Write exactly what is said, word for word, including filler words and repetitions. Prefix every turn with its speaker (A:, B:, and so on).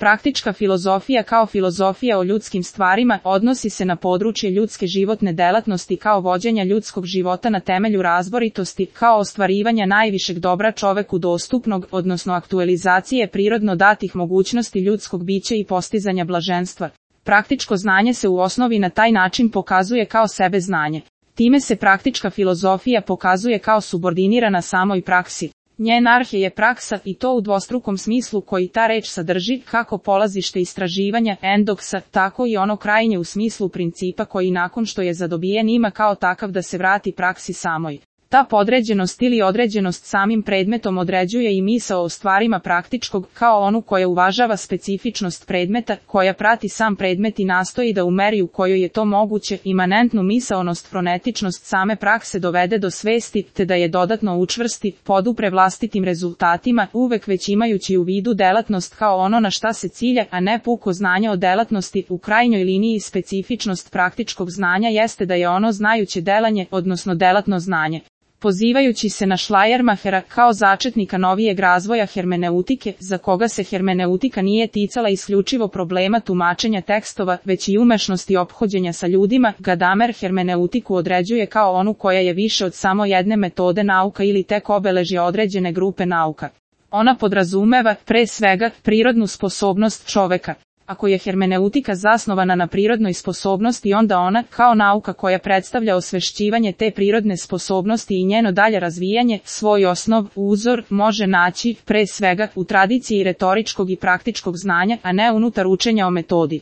A: Praktička filozofija kao filozofija o ljudskim stvarima odnosi se na područje ljudske životne delatnosti kao vođenja ljudskog života na temelju razboritosti, kao ostvarivanja najvišeg dobra čoveku dostupnog, odnosno aktualizacije prirodno datih mogućnosti ljudskog bića i postizanja blaženstva. Praktičko znanje se u osnovi na taj način pokazuje kao sebe znanje. Time se praktička filozofija pokazuje kao subordinirana samoj praksi. Njen arhe je praksa i to u dvostrukom smislu koji ta reč sadrži, kako polazište istraživanja, endoksa, tako i ono krajnje u smislu principa koji nakon što je zadobijen ima kao takav da se vrati praksi samoj. Ta podređenost ili određenost samim predmetom određuje i misao o stvarima praktičkog kao onu koja uvažava specifičnost predmeta, koja prati sam predmet i nastoji da u meri u kojoj je to moguće imanentnu misaonost fronetičnost same prakse dovede do svesti, te da je dodatno učvrsti, podupre vlastitim rezultatima, uvek već imajući u vidu delatnost kao ono na šta se cilja, a ne puko znanje o delatnosti. U krajnjoj liniji specifičnost praktičkog znanja jeste da je ono znajuće delanje, odnosno delatno znanje. Pozivajući se na Schleiermachera kao začetnika novijeg razvoja hermeneutike, za koga se hermeneutika nije ticala isključivo problema tumačenja tekstova, već i umešnosti ophođenja sa ljudima, Gadamer hermeneutiku određuje kao onu koja je više od samo jedne metode nauka ili tek obeležje određene grupe nauka. Ona podrazumeva, pre svega, prirodnu sposobnost čoveka. Ako je hermeneutika zasnovana na prirodnoj sposobnosti, onda ona, kao nauka koja predstavlja osvešćivanje te prirodne sposobnosti i njeno dalje razvijanje, svoj osnov, uzor, može naći, pre svega, u tradiciji retoričkog i praktičkog znanja, a ne unutar učenja o metodi.